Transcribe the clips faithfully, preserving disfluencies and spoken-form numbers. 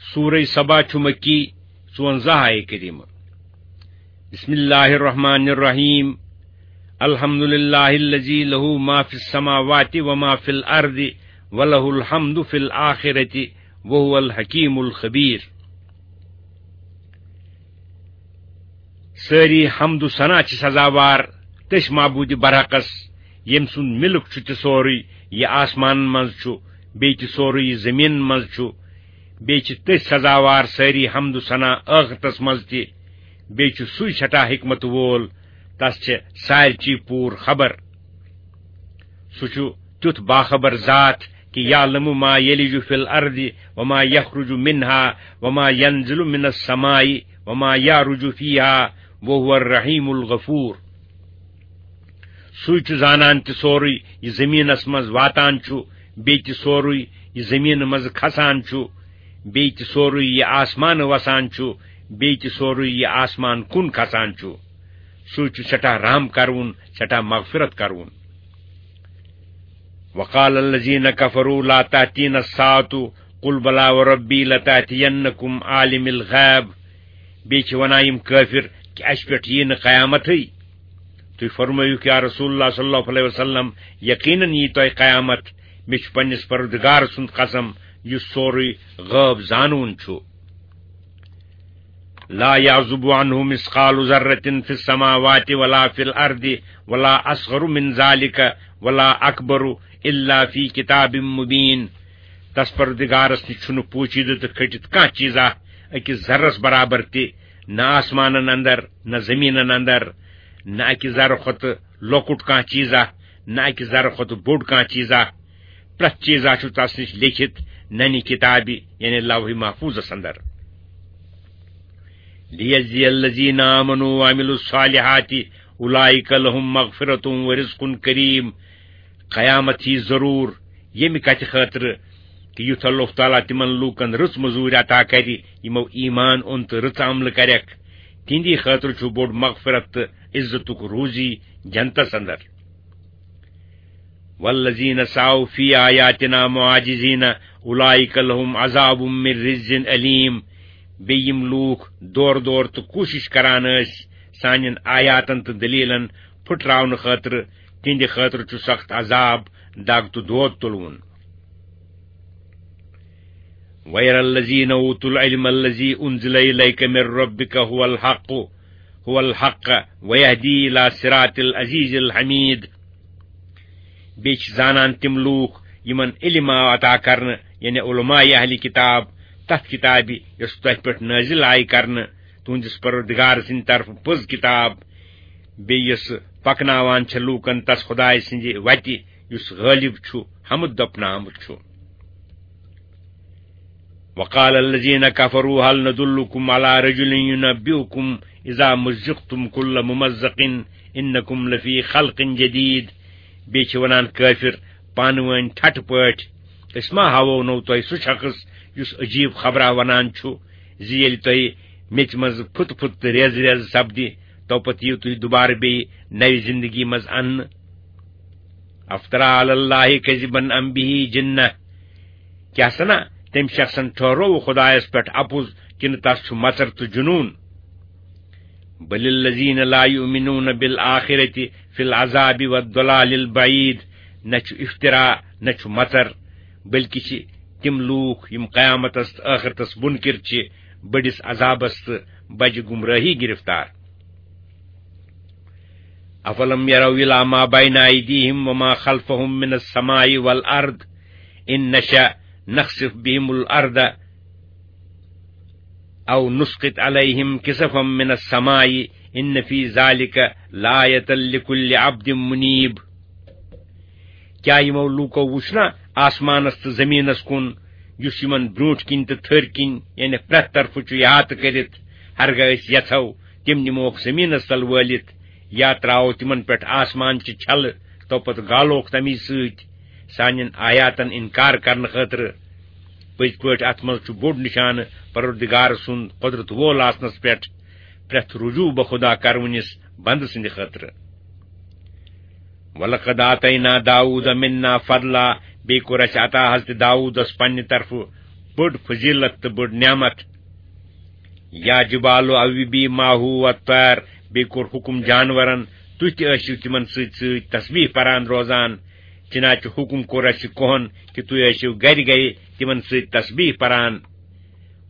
سورہ سبا چھُ مکی، ژُوَنزاہ آیہِ کریمہ۔ بسم اللہ الرحمن الرحیم۔ الحمد للہ الذی لہ ما فی السماوات وما فی الارض ولہ الحمد فی الآخرۃ وہو الحکیم الخبیر۔ سٲری حمد و ثنا چھِ سزاوار تٔسۍ معبوٗدِ برحقس، ییٚمۍ سُنٛد مِلک چھُ تہِ سورُے یہِ آسمانن منٛز چھُ، بیٚیہِ تہِ سورُے یہِ زٔمیٖنن منٛز چھُ۔ بیٚیہِ چھِ تٔسۍ سزاوار سٲری حمد و ثنا ٲخرتس منٛز تہِ۔ بیٚیہِ چھُ سُے سٮ۪ٹھاہ حکمت وول، تس چھِ سارِچی پوٗرٕ خبر۔ سُہ چھُ تیُتھ باخبر ذات کہ یعلم ما یلج فی الارض وما یخرج منها وما ینزل من السماء وما یعرج فیها وهو الرحیم الغفور۔ سُے چھُ زانان تہِ سورُے یہِ زٔمیٖنس منٛز واتان چھُ، بیٚیہِ تہِ سورُے یہِ زٔمیٖنہٕ منٛزٕ کھسان چھُ، بیٚیہِ تہِ سورُے یہِ آسمانہٕ وسان چھُ، بیٚیہِ تہِ سورُے یہِ آسمان کُن کھسان چھُ۔ سُے چھُ سٮ۪ٹھاہ رحم کرون، سٮ۪ٹھاہ مغفرت کرون۔ وقال الذين كفروا لا تأتينا الساعة قل بلى وربي لتأتينكم عالم الغيب۔ بیٚیہِ چھِ وَنان یِم کٲفِر کہِ اَسہِ پٮ۪ٹھ یِیہِ نہٕ قیامتھٕے۔ تُہۍ فرمٲیِو یا رسول اللہ صلی اللہ علیہ وسلم، یقیناً یِیہِ تۄہہِ قیامت، مےٚ چھُ پننِس پروردگار سُنٛد قسم یُس سورُے غٲب زانوُن چھُ۔ لا يعزب عنه مثقال ذرة في السماوات ولا في الأرض ولا أصغر من ذلك ولا أكبر إلا في كتاب مبين۔ تس پروردگارس نِش چھُنہٕ پوٗشیدٕ تہٕ کھٔٹِتھ کانٛہہ چیٖزا أکِس ذرس برابر تہِ، نہ آسمانن اندر، نہ زٔمیٖنن اندر، نہ اَکہِ ذرٕ کھۄتہٕ لۄکُٹ کانٛہہ چیٖزا، نہ اَکہِ ذرٕ کھۄتہٕ بوٚڑ کانٛہہ چیٖزا۔ پرٛٮ۪تھ چیٖزا چھُ تس نِش لیکھِتھ ننہِ کِتابہِ، یعنی لوح محفوظس اندر۔ لِيَجْزِيَ الَّذِينَ آمَنُوا وَعَمِلُوا الصَّالِحَاتِ أُولَٰئِكَ لَهُم مَّغْفِرَةٌ وَرِزْقٌ كَرِيمٌ۔ قیامت یی ضروٗر ییٚمہِ کتھِ خٲطرٕ کہِ یُتھ اللہ تعالیٰ تِمن لوٗکن رٕژ مٔزوٗرۍ عطا کرِ، یِمو ایمان اوٚن تہٕ رٕژ عملہٕ کرٮ۪کھ، تِہنٛدی خٲطرٕ چھُ بوٚڑ مغفرت تہٕ عزتُک روزی جنتس اندر۔ والذین سعوا فی آیاتنا معاجزین اولئک لهم عذاب من رجز الیم۔ بیٚیہِ یِم لوٗکھ دورٕ دورٕ تہٕ کوٗشِش کران ٲسۍ سانٮ۪ن آیاتن تہٕ دٔلیٖلن پھُٹراونہٕ خٲطرٕ، تِہنٛدِ خٲطرٕ چھُ سخت عذاب دگ تہٕ دود تُلوُن۔ وَيَرَى الَّذِينَ أُوتُوا الْعِلْمَ الَّذِي أُنزِلَ إِلَيْكَ مِن رَّبِّكَ هُوَ الْحَقُّ، هُوَ الْحَقَّ وَيَهْدِي إِلَى صِرَاطِ الْعَزِيزِ الْحَمِيدِ۔ بیٚیہِ چھِ زانان تِم لوٗکھ یِمن علم آو عطا کرنہٕ، یعنی علماء اہلِ کتاب، تتھ کتابہِ یۄس تۄہہِ پٮ۪ٹھ نٲزِل آیہِ کرنہٕ تُہنٛدِس پروردگار سٕنٛدِ طرفہٕ پٔز کتاب، بیٚیہِ یۄس پکناوان چھےٚ لوٗکن تس خدایہِ سٕنٛزِ وتہِ یُس غٲلب چھُ، حمد دپنہٕ آمُت چھُ۔ وقال الذين كفروا هل ندلكم على رجل ينبئكم إذا مزقتم كل ممزق إنكم لفي خلق جديد۔ بیٚیہِ چھِ وَنان کٲفِر پانہٕ وٲنۍ ٹھٹھٕ پٲٹھۍ، "أسۍ ما ہاوو نو تۄہہِ سُہ شخص یُس عجیٖب خبرا وَنان چھُ زِ ییٚلہِ تۄہہِ میٚژِ منٛز پھُت پھُت تہٕ ریزٕ ریزٕ سپدِ، تو پتہٕ یِیِو تُہۍ دُبارٕ بیٚیہِ نَوِ زِندگی منٛز اَننہٕ؟" افترا علی اللہ کذبا ام به جنہ۔ کیٛاہ سنا تٔمۍ شخصن ٹھہروو خدایس پٮ۪ٹھ اپُز، کِنہٕ تس چھُ مژر تہٕ جنون؟ بل الذین لا یؤمنون بالآخرۃ فی العذاب والضلال البعید۔ نہ چھُ افترا، نہ چھُ مژر، بلکہِ چھِ تِم لوٗکھ یِم قیامتس تہٕ ٲخرتس منکر چھِ، بٔڑِس عذابس تہٕ بجہِ گمراہی گرفتار۔ افلم يروا الى ما بين ايديهم وما خلفهم من السماء والارض ان نشأ نخسف بهم الارض او نسقط عليهم كسفا من السماء ان في ذلك لآية لكل عبد منيب۔ کیا یِمو لوٗکو وُچھ نا آسمانس تہٕ زٔمیٖنس کُن، یُس یِمن برٛونٛٹھ کِنۍ تہٕ تھٔرۍ کِنۍ، یعنی پرٛٮ۪تھ طرفہٕ چھُ احاطہٕ کٔرِتھ؟ ہرگاہ أسۍ یژھو، تِم نِموکھ زٔمیٖنس تل وٲلِتھ، یا ترٛاوو تِمن پٮ۪ٹھ آسمان چہِ چھلہٕ، تو پتہٕ گالوکھ تَمی سۭتۍ سانٮ۪ن آیاتن اِنکار کرنہٕ خٲطرٕ۔ پٔزۍ پٲٹھۍ اتھ منٛز چھُ بوٚڑ نِشانہٕ پروردگار سُنٛد قۄدرت وول آسنس پٮ۪ٹھ، پرٛٮ۪تھ رجوع بخدا کرونِس بندٕ سٕنٛدِ خٲطرٕ۔ وَلَقَدْ آتَيْنَا دَاوُودَ مِنَّا فَضْلًا، بیٚیہِ کوٚر اَسہِ عطا حضرت داوٗدس پننہِ طرفہٕ بٔڑ فضیلت تہٕ بٔڑ نعمت۔ یا جبال اوبی ماہو و طیر، بیٚیہِ کوٚر حکم جانورن، تُہۍ تہِ ٲسِو تِمن سۭتۍ سۭتۍ تسبیح پران روزان۔ چنانچہ حکم کوٚر اَسہِ کوہن کہِ تُہۍ ٲسِو گرِ گرِ تِمن سۭتۍ تسبیح پران۔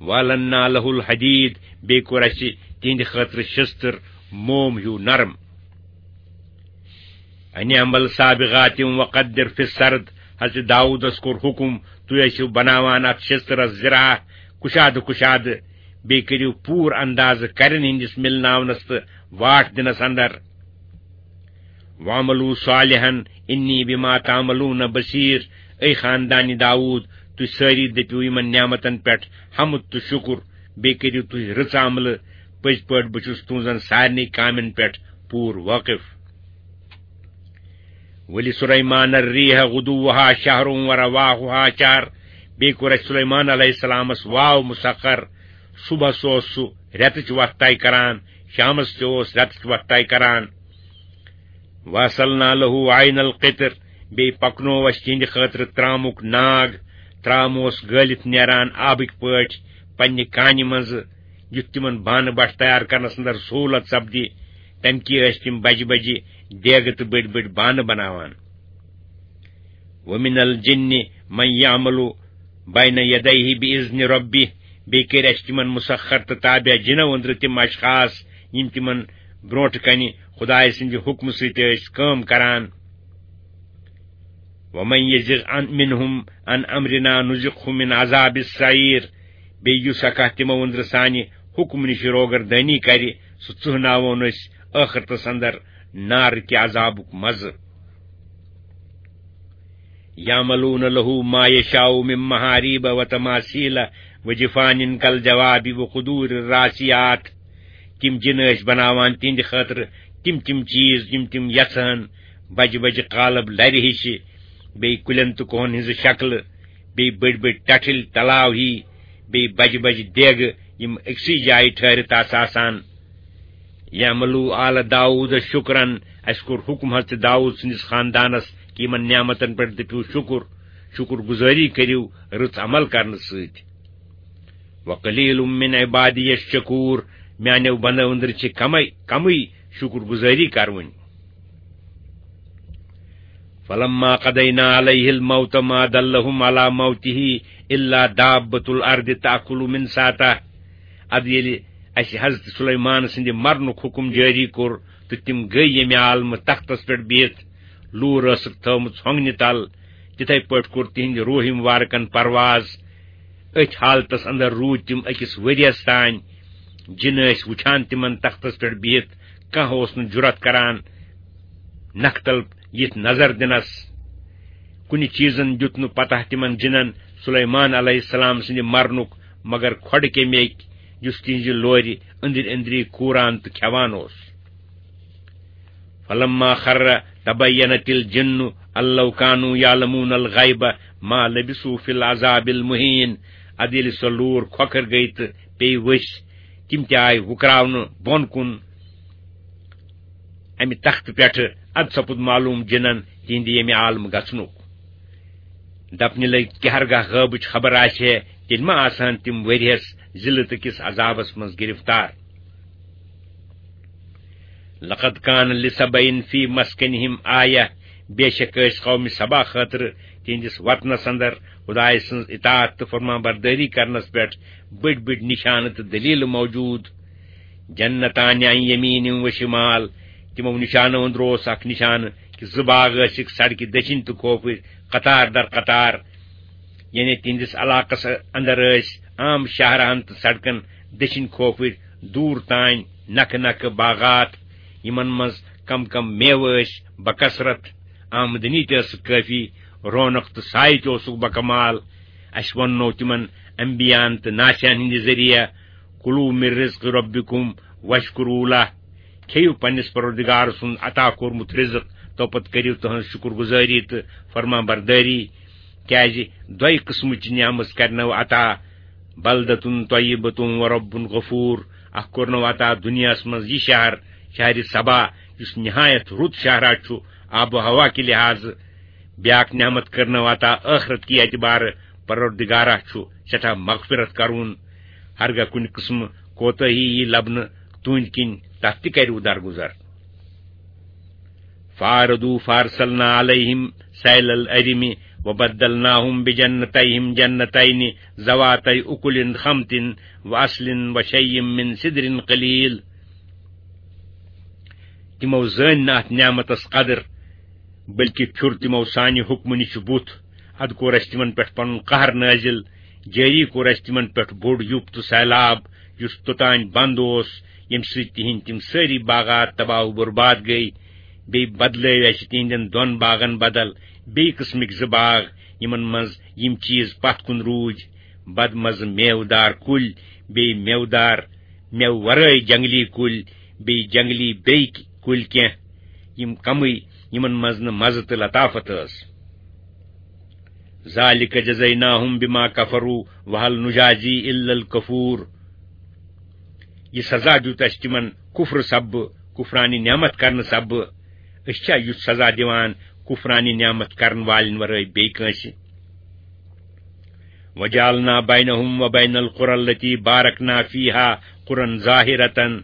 والنا لہ الحدید، بیٚیہِ کوٚر اَسہِ تِہنٛدِ خٲطرٕ شستٕر موم ہیوٗ نرم۔ ان اعمل سابغات وقدر فی السرد، حضرت داؤدس کوٚر حکم، تُہۍ ٲسِو بناوان اتھ شستٕرس ذرا کشادٕ کشادٕ، بیٚیہِ کٔرِو پوٗرٕ اندازٕ کرٮ۪ن ہٕنٛدِس مِلناونس تہٕ واٹھ دِنس اندر۔ وعملوا صالحا انی بما تعملون بصیر۔ اے خاندان داؤد، تُہۍ سٲری دٔپِو یِمن نعمتن پٮ۪ٹھ حمد تہٕ شُکر، بیٚیہِ کٔرِو تُہۍ رٕژ عملہٕ، پٔزۍ پٲٹھۍ بہٕ چھُس تُہنٛزن سارنٕے کامٮ۪ن پٮ۪ٹھ پوٗرٕ وٲقف۔ ولی سلیمان الریح غدوہا شہر و رواحہا شہر۔ بیٚیہِ کوٚر اَسہِ سلیمان علیہ السلامس واو مسخر۔ صبحس اوس سُہ رٮ۪تٕچ وَتھ طے کران، شامس تہِ اوس رٮ۪تٕچ وَتھ طے کران۔ واصلنا لہ عین القطر، بیٚیہِ پکنوو اَسہِ تِہنٛدِ خٲطرٕ ترامُک ناگ۔ ترام اوس گٲلِتھ نیران آبٕکۍ پٲٹھۍ پننہِ کانہِ منٛزٕ، یُتھ تِمن بانہٕ بٹھ تیار کرنس اندر سہولت سپدِ۔ تمہِ کہِ ٲسۍ تِم بجہِ بجہِ دیگہٕ تہٕ بٔڑۍ بٔڑۍ بانہٕ بناوان۔ ومن الجن من یعمل بین یدیہ باذن ربہ، بیٚیہِ کٔرۍ اَسہِ تِمن مسخر تہٕ تابع جنو أنٛدرٕ تِم اشخاص، یِم تِمن برونٛٹھ کنہِ خدایہِ سٕنٛدِ حکمہٕ سۭتۍ ٲسۍ کٲم کران۔ ومن یزغ عن منہم عن امرنا نذقہ من عذاب السعیر، بیٚیہِ یُس اکھ تِمو أنٛدرٕ سانہِ حکمہٕ نِش روگردٲنی کرِ، سُہ ژٕہناوون أسۍ ٲخرتس اندر نارٕ کہِ عذابُک مزٕ۔ یعملون لہ ما یشاء من محاریب و تماثیل و جفان کالجواب و قدور الراسیات۔ تِم جِن ٲسۍ بناوان تِہنٛدِ خٲطرٕ تِم تِم چیٖز، یِم تِم یژھہن، بجہِ بجہِ قالب لرِ ہِشہِ، بیٚیہِ کُلٮ۪ن تہٕ کوہن ہٕنٛزٕ شکلہٕ، بیٚیہِ بٔڑۍ بٔڑۍ ٹٹھلۍ تلاو ہی، بیٚیہِ بجہِ بجہِ دیگہٕ، یِم أکسٕے جایہِ ٹھہرِتھ آسہٕ آسان۔ یعملوا آل داؤد شکرا، اَسہِ کوٚر حکم حضرت داؤد سٕنٛدِس خاندانس کہِ یِمن نعمتن پٮ۪ٹھ دٔپِو شکر، شکر گزٲری کٔرِو رٕژ عمل کرنہٕ سۭتۍ۔ وقلیل من عبادی الشکور، میانیو بندو أنٛدرٕ چھِ کمے کمٕے شکر گزٲری کرونۍ۔ فلما قضینا علیہ الموت ما دلهم علی موته الا دابۃ الارض تأکل من ساته۔ ادٕ ییٚلہِ اَسہِ حضرت سلیمان سٕنٛدِ مرنُک حکم جٲری کوٚر تہٕ تِم گٔے ییٚمہِ عالمہٕ تختس پٮ۪ٹھ بِہِتھ، لوٗر ٲسٕکھ تھٲومٕژ ہۄنٛگنہِ تل، تِتھے پٲٹھۍ کوٚر تِہنٛدِ روحِ مبارکن پرواز۔ أتھۍ حالتس اندر روٗدۍ تِم أکِس ؤرۍیَس تام۔ جِن ٲسۍ وُچھان تِمن تختس پٮ۪ٹھ بِہِتھ، کانٛہہ اوس نہٕ جُرت کران نکھٕ تل یِتھ نظر دِنس۔ کُنہِ چیٖزن دیُت نہٕ پتہ تِمن جِنن سلیمان علیہ السلام سٕنٛدِ مرنُک، مگر کھۄڈٕ کیٚمۍ اکۍ، یُس تِہنٛزِ لورِ أنٛدرۍ أنٛدری کوٗران تہٕ کھٮ۪وان اوس۔ فلما خر تبینت الجن ان لو کانوا یعلمون الغیب ما لبثوا فی العذاب المہین۔ ادٕ ییٚلہِ سۄ لوٗر کھۄکھٕر گٔے تہٕ پیٚیہِ ؤسۍ، تِم تہِ آیہِ وُکراونہٕ بۄن کُن امہِ تختہٕ پٮ۪ٹھٕ۔ ادٕ سپُد معلوم جِنن تِہنٛدِ ییٚمہِ عالمہٕ گژھنُک۔ دپنہِ لٔگۍ، کہِ ہرگاہ غٲبٕچ خبر آسہِ ہے، تیٚلہِ ما آسہٕ ہن تِم ؤرۍیَس ذلتہٕ کِس عذابس منٛز گرفتار۔ لقد کان لسبعین فی مسکنہم آیہ، بے شک ٲسۍ قومِ سبا خٲطرٕ تِہنٛدِس وطنس اندر خدایہِ سٕنٛز اطاعت تہٕ فرمان بردٲری کرنس پٮ۪ٹھ بٔڑۍ بٔڑۍ نشانہٕ تہٕ دلیلہٕ موجود۔ جنتان عن یمین و شمال، تِمو نشانو اندر اوس اکھ نشانہٕ کہِ زٕ باغ ٲسِکھ سڑکہِ دٔچھِنۍ تہٕ کھوفٕرۍ قطار در قطار۔ یعنی تِہنٛدِس علاقس اندر ٲسۍ عام شاہراہن تہٕ سڑکن دٔچھِنۍ کھوفٕرۍ دوٗر تام نکھٕ نکھٕ باغات، یِمن منٛز کم کم میوٕ ٲسۍ بکثرت، آمدنی تہِ ٲسٕکھ کٲفی، رونق تہٕ سایہِ تہِ اوسُکھ بکمال۔ اسہِ ووننو تِمن انبیاہن تہٕ ناسِحن ہٕنٛدِ ذٔریعہٕ، کُلوٗ مِن رِزْقِ رَبِّکُمْ وَاشْکُروٗ لَہ، کھیٚیِو پننِس پروردگار سُنٛد عطا کوٚرمُت رِزق، توپتہٕ کٔرِو تُہنٛز شُکر گُزٲری تہٕ فرما بردٲری، کیازِ دۄیہِ قٕسمٕچ نعمژ کرنو عطا، بلدۃ طیبۃ و رب غفور، اکھ کوٚرنو عطا دُنیاہس منٛز یہِ شہر، شہرِ سبا، یُس نہایت رُت شہرا چھُ آب و ہوا کہِ لحاظہٕ، بیاکھ نعمت کٔرنو عطا ٲخرت کہِ اعتبارٕ، پروردگارا چھُ سٮ۪ٹھاہ مغفرت کرون۔ ہرگاہ کُنہِ قٕسمہٕ کوتٲہی یی لبنہٕ تُہنٛدِ کِنۍ، تتھ تہِ کٔرِو درگُزر۔ فاردو فارسلنا علیہم سیل العرم وبدلناہم بجنتیہم جنتین ذواتَی اکل خمط واصل وشیء من سدر قلیل۔ تِمو زٲنۍ نہٕ اتھ نعمتس قدر، بلکہ پھیُر تِمو سانہِ حکمہٕ نِش بُتھ۔ ادٕ کوٚر اسہِ تِمن پٮ۪ٹھ پنُن قہر نٲزِل، جٲری کوٚر اسہِ تِمن پٮ۪ٹھ بوٚڑ یُپ تہٕ سیلاب، یُس توٚتام بنٛد اوس، ییٚمہِ سۭتۍ تِہنٛدۍ تِم سٲری باغات تباہ و برباد گٔے۔ بیٚیہِ بدلٲوۍ اسہِ تِہنٛدٮ۪ن دۄن باغن بدل بیٚیہِ قٕسمٕکۍ زٕ باغ، یِمن منٛز یِم چیٖز پتھ کُن روٗدۍ، بدمزٕ میوٕ دار کُلۍ، بیٚیہِ میوٕ دار، میوٕ ورٲے جنگلی کُلۍ، بیٚیہِ جنگلی بیٚیہِ کُلۍ کینٛہہ، یِم کمٕے، یِمن منٛز نہٕ مزٕ تہٕ لطافت ٲس۔ ذالک جزیناہم بما کفروا وہل نجازی الا الکفور۔ یہِ سزا دیُت اسہِ تِمن کفر سببہٕ، کفرانی نعمت کرنہٕ سببہٕ۔ أسۍ چھا یُتھ سزا دِوان کفرانی نعمت کرن والٮ۪ن ورٲے بیٚیہِ کٲنٛسہِ؟ وجعلنا بینہم وبین القری التی بارکنا فیہا قری ظاہرتن۔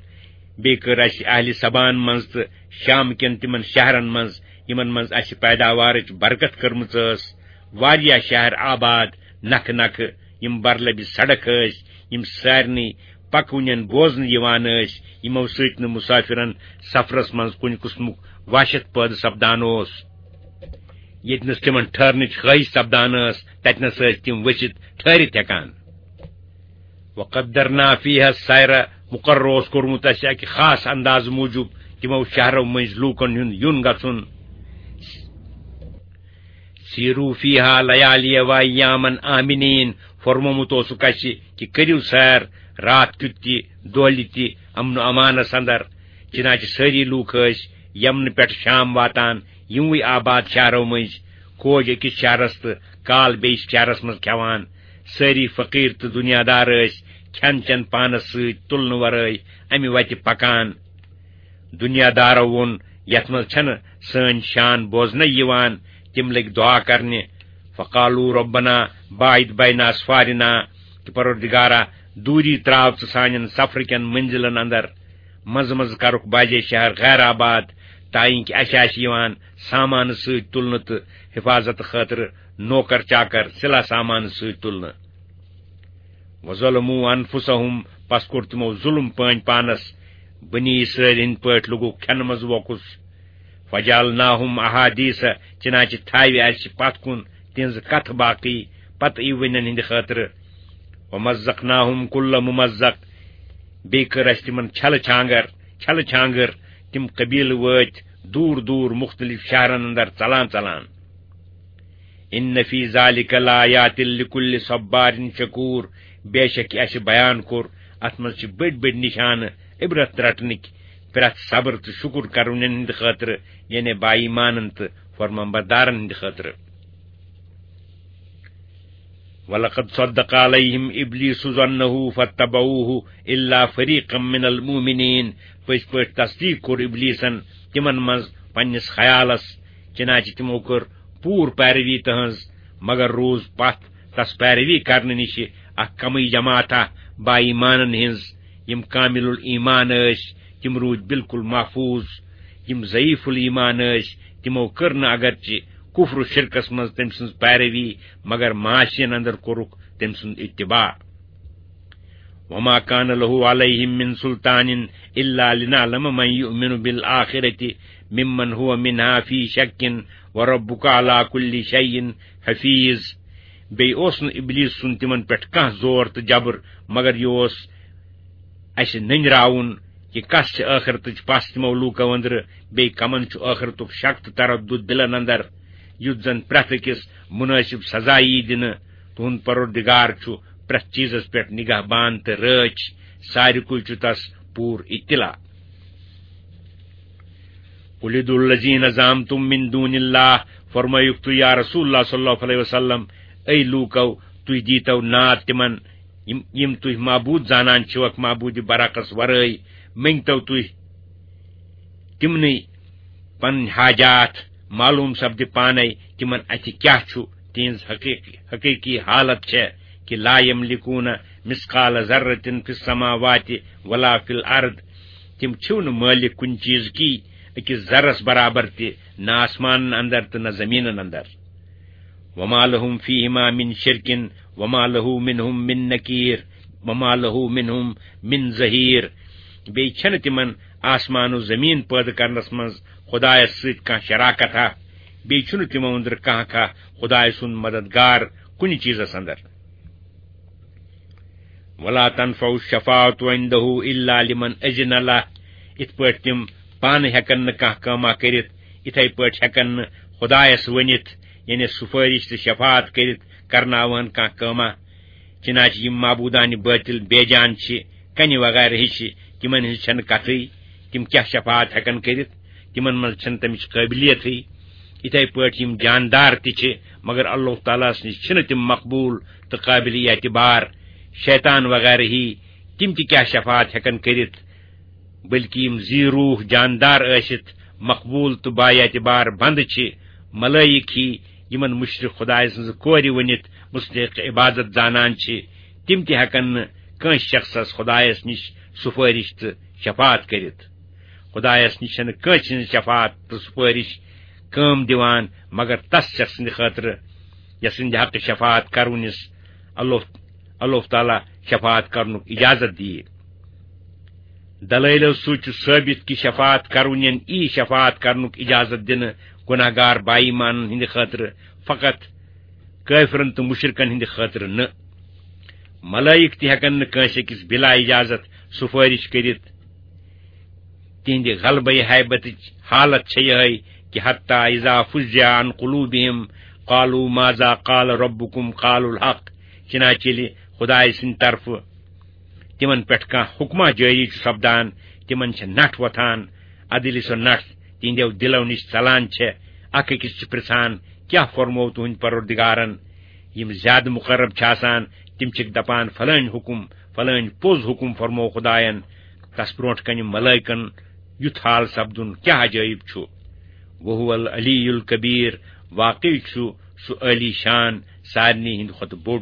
بیٚیہِ کٔر اسہِ اہلِ سبان منٛز تہٕ شام کٮ۪ن تِمن شہرن منٛز، یِمن منٛز اسہِ پیداوارٕچ برکت کٔرمٕژ ٲس، واریاہ شہر آباد، نکھٕ نکھٕ، یِم برلبہِ سڑک ٲسۍ، یِم سارنٕے پکوٕنٮ۪ن بوزنہٕ یِوان ٲسۍ، یِمو سۭتۍ نہٕ مسافرن سفرس منٛز کُنہِ قٕسمُک وحشت پٲدٕ سپدان اوس۔ ییٚتہِ نَس تِمن ٹھہرنٕچ خٲہِش سپدان ٲس، تتہِ نَس ٲسۍ تِم ؤسِتھ ٹھہرِتھ ہٮ۪کان۔ وقدرنا فیہا السیر، مقرر اوس کوٚرمُت اَسہِ اَکہِ خاص اندازٕ موٗجوٗب تِمو شہرو مٔنٛزۍ لوٗکن ہُنٛد یُن گژھُن۔ سیروا فیہا لیالی و ایاما آمنین، فرمومُت اوسُکھ اَسہِ کہِ کٔرِو سیر راتھ کیُت تہِ، دۄہلہِ تہِ، امن و امانس اندر۔ چنانچہ سٲری لوٗکھ ٲسۍ یمنہٕ پٮ۪ٹھ شام واتان یِموٕے آباد شہرو مٔنٛزۍ، کوج أکِس شہرس تہٕ کال بیٚیِس شہرس منٛز کھٮ۪وان۔ سٲری فقیٖر تہٕ دُنیا دار ٲسۍ کھٮ۪ن چٮ۪ن پانس سۭتۍ تُلنہٕ ورٲے امہِ وتہِ پکان۔ دُنیا دارو ووٚن، "یتھ منٛز چھنہٕ سٲنۍ شان بوزنَے یِوان۔" تِم لٔگۍ دُعا کرنہِ، "فقالوا ربنا باعد بین اسفارنا"، تہٕ پروردگارا، دوٗری تراو ژٕ سانٮ۪ن سفرٕ کٮ۪ن منزلن اندر۔ منٛزٕ منٛزٕ کرُکھ بعضے شہر غیر آباد، تاکہ اسہِ آسہِ یِوان سامانہٕ سۭتۍ تُلنہٕ تہٕ حفاظت خٲطرٕ نوکر چاکر سلاح سامانہٕ سۭتۍ تُلنہٕ۔ وظلموا انفسہم، پس کوٚر تِمو ظلم پٲنۍ پانس، بنی اسرائیل ہٕنٛدۍ پٲٹھۍ لوٚگُکھ کھٮ۪نہٕ منٛز وۄکُس۔ فجعلناہم احادیث، چنانچہ تھاوِ اسہِ پتھ کُن تِہنٛزٕ کتھٕ باقی، پتہٕ یی ونن ہٕنٛدِ خٲطرٕ۔ ومزقناہم کل ممزق، بیٚیہِ کٔر اسہِ تِمن چھلہٕ چھانگر، چھلہٕ چھانگر۔ تِم قبیلہٕ وٲتۍ دوٗر دوٗر مختلف شہرن اندر ژلان ژلان۔ ان فی ذالک لآیات لکل صبار شکور، بے شک اسہِ بیان کوٚر، اتھ منٛز چھِ بٔڑۍ بٔڑۍ نشانہٕ عبرت رٹنٕکۍ پرٛٮ۪تھ صبر تہٕ شکر کرونٮ۪ن ہٕنٛدِ خٲطرٕ، یعنی با ایمانن تہٕ فرمانبردارن ہٕنٛدِ خٲطرٕ۔ وَلَقَدْ صَدَّقَ عَلَيْهِمْ إِبْلِيسُ ظَنَّهُ فَاتَّبَعُوهُ إِلَّا فَرِيقًا مِّنَ الْمُؤْمِنِينَ، پٔزۍ پٲٹھۍ تصدیق کوٚر ابلیسن تِمن منٛز پننِس خیالس، چنانچہ تِمو کٔر پوٗرٕ پیروی تہنٛز، مگر روٗز پتھ تس پیروی کرنہٕ نِش اکھ کمٕے جماعتہ با ایمانن ہٕنٛز، یِم کامل الایمان ٲسۍ، تِم روٗدۍ بالکل محفوظ۔ یِم ضعیف الایمان ٲسۍ، تِمو کٔر نہٕ اگرچہ کفر و شرکس منٛز تٔمۍ سٕنٛز پیروی، مگر معاشین اندر کوٚرُکھ تٔمۍ سُنٛد اتباع۔ وما كان له عليهم من سلطان إلا لنعلم من يؤمن بالآخرة ممن هو منها في شك وربك على كل شيء حفيظ۔ بیٚیہِ اوس نہٕ ابلیس سُنٛد تِمن پٮ۪ٹھ کانٛہہ زور تہٕ جبر، مگر یہِ اوس اسہِ نٔنۍ راوُن کہِ کس چھِ ٲخرتٕچ پژھ تِمو لوٗکو أنٛدرٕ، بیٚیہِ کمن چھُ ٲخرتُک شک تہٕ تردُد دِلن اندر، یُتھ زن پرٛٮ۪تھ أکِس مُنٲسِب سزا یی دِنہٕ۔ تُہُنٛد پروردگار چھُ پرٛٮ۪تھ چیٖزس پٮ۪ٹھ نگہبان تہٕ رٲچھ، سارِکُے چھُ تس پوٗرٕ اطلاع۔ قل ادعوا الذين زعمتم من دون الله، فرمٲیِکھ تُہۍ یا رسول اللہ صلی اللہ علیہ وسلم، اے لوٗکو، تُہۍ دیٖتو ناد تِمن یِم، یِم تُہۍ معبوٗد زانان چھِوکھ معبوٗدِ برحقس ورٲے، مٔنگتو تُہۍ تِمنٕے پنٕنۍ حاجات، معلوٗم سپدِ پانے تِمن اَتھِ کیٛاہ چھُ۔ تِہنٛز حقیقی، حقیقی حالت چھےٚ کہ لا یملکون مثقال ذرة فی السماوات ولا فی الارض۔ تِم چھِو نہٕ مٲلِک کُنہِ چیٖزکی، أکِس ذرس برابر تہِ، نہ آسمانن اندر تہٕ نہ زمینن اندر۔ وما لهم فیہما من شرک وما له منهم من نکیر وما له منهم من ظہیر۔ بیٚیہِ چھنہٕ تِمن آسمان و زمین پٲدٕ کرنس منٛز خدایس سۭتۍ کانٛہہ شراکت ہا، بیٚیہِ چھُنہٕ تِمو أنٛدرٕ کانٛہہ کانٛہہ خدایہِ سُنٛد مددگار کُنہِ چیٖزس اندر۔ ولا تنفع الشفاعة عنده الا لمن اذن له۔ یِتھ پٲٹھۍ تِم پانہٕ ہٮ۪کن نہٕ کانٛہہ کٲمہ کٔرِتھ، یِتھے پٲٹھۍ ہٮ۪کن نہٕ خدایس ؤنِتھ، یعنی سُفٲرِش تہٕ شفاعت کٔرِتھ کرناوہن کانٛہہ کٲمہ۔ چنانچہ یِم معبودان باطل بے جان چھِ، کنہِ وغیرہ ہِش چھِ، تِمن ہٕنٛز چھنہٕ کتھٕے، تِم کیٛاہ شفاعت ہٮ۪کن کٔرِتھ؟ تِمن منٛز چھنہٕ تمِچ قٲبلیتٕے۔ یِتھے پٲٹھۍ یِم جاندار تہِ چھِ، مگر اللہ تعالیٰ ہس نِش چھِنہٕ تِم مقبول تہٕ قابل اعتبار۔ شیطان وغیرہ ہی، تِم تہِ کیٛاہ شفاعت ہٮ۪کن کٔرِتھ؟ بلکہ یِم زی روح جاندار ٲسِتھ مقبول تہٕ با اعتبار بندٕ چھِ، ملائک ہی، یِمن مشرک خدایہِ سٕنٛزٕ کورِ ؤنِتھ مستحق عبادت زانان چھِ، تِم تہِ ہٮ۪کن نہٕ کٲنٛسہِ شخصس خدایس نِش سُفٲرِش تہٕ شفاعت کٔرِتھ۔ خدایس نِش چھنہٕ کٲنٛسہِ ہٕنٛز شفاعت تہٕ سُفٲرِش کٲم دِوان، مگر تس شخص سٕنٛدِ خٲطرٕ، یس سٕنٛدِ حقہٕ شفاعت کرونِس اللہ، اللہ تعالیٰ شفاعت کرنُک اجازت دِیہِ۔ دلائلو سۭتۍ چھُ ثٲبت کہِ شفاعت کرونین یی شفاعت کرنُک اجازت دِنہٕ گناہگار با ایمانن ہٕنٛدِ خٲطرٕ فقط، کٲفرن تہٕ مشرکن ہٕنٛدِ خٲطرٕ نہٕ۔ ملائک تہِ ہٮ۪کن نہٕ کٲنٛسہِ أکِس بلا اجازت سُفٲرِش کٔرِتھ۔ تِہنٛدِ غلبہٕ ہیبتٕچ حالت چھےٚ یِہے کہِ حتی اذا فزع عن قلوبہم قالوا ماذا قال ربکم قالوا الحق۔ چنانچہ ییٚلہِ خدایہِ سٕنٛدِ طرفہٕ تِمن پٮ۪ٹھ کانٛہہ حکمہ جٲری چھُ سپدان، تِمن چھےٚ نٹھ وۄتھان۔ ادٕ ییٚلہِ سۄ نٹھ تِہنٛدیو دِلو نِش ژلان چھےٚ، اکھ أکِس چھِ پرژھان، کیٛاہ فرموو تُہنٛدِ پروردگارن؟ یِم زیادٕ مقرب چھِ آسان، تِم چھِکھ دپان، فلٲنۍ حکم، فلٲنۍ پوٚز حکم فرموو خدایَن۔ تس برونٛٹھ کنہِ ملائکن یُتھ حال سپدُن کیٛاہ عجٲیب چھُ؟ وہو العلی الکبیر، واقعی چھُ سُہ عٲلی شان، سارنٕے ہٕنٛدِ کھۄتہٕ بوٚڑ۔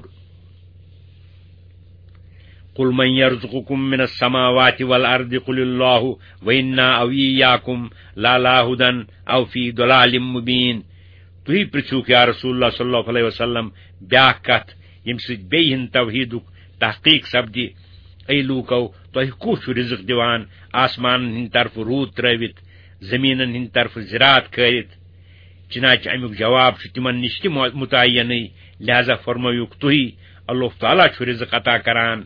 قل من يرزقكم من السماوات والأرض قل الله وإنا أو إياكم لعلى هدى أو في ضلال مبين۔ تُہی پرژھوکھ یا رسول اللہ صلی اللہ علیہ وسلم بیاکھ کتھ، ییٚمہِ سۭتۍ بیٚیہِ ہِن توحیدُک تحقیق سپدِ۔ اے لوٗکو، تۄہہِ کُس چھُ رزق دِوان آسمانن ہٕنٛدِ طرفہٕ روٗد ترٲوِتھ، زٔمیٖنن ہٕنٛدِ طرفہٕ زِراعت کھٲرِتھ؟ چنانچہ امیُک جواب چھُ تِمن نِش تہِ مُ-، متعینٕے۔ لہذا فرمٲیِوکھ تُہی، اللہ تعالیٰ چھُ رزق عطا کران۔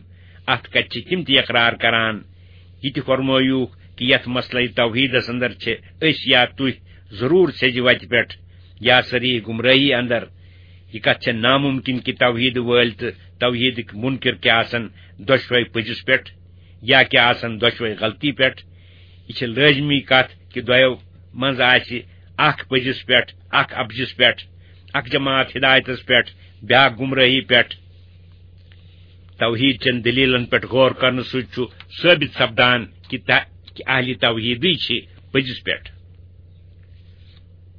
اتھ کتھِ چھِ تِم تہِ اقرار کران۔ یہِ تہِ فرمٲیِوکھ کہ یتھ مسئلہ توحیدس اندر چھِ أسۍ یا تُہۍ ضرور سیٚزِ وتہِ پٮ۪ٹھ یا صریح گمراہی اندر۔ یہِ کتھ چھےٚ ناممکن کہ توحید وٲلۍ تہٕ توحیدٕکۍ منکر تہِ آسن دۄشوے پٔزِس پٮ۪ٹھ یا کہ آسن دۄشوے غلطی پٮ۪ٹھ۔ یہِ چھِ لٲزمی کتھ کہ دۄیو منٛز آسہِ اکھ پٔزِس پٮ۪ٹھ، اکھ اپزِس پٮ۪ٹھ، اکھ جماعت ہدایتس پٮ۪ٹھ، بیاکھ گمراہی پٮ۪ٹھ۔ توحید چٮ۪ن دلیلن پٮ۪ٹھ غور کرنہٕ سۭتۍ چھُ ثٲبت سپدان کہ تہ-، کہ اہلِ توحیدٕے چھِ پٔزِس پٮ۪ٹھ۔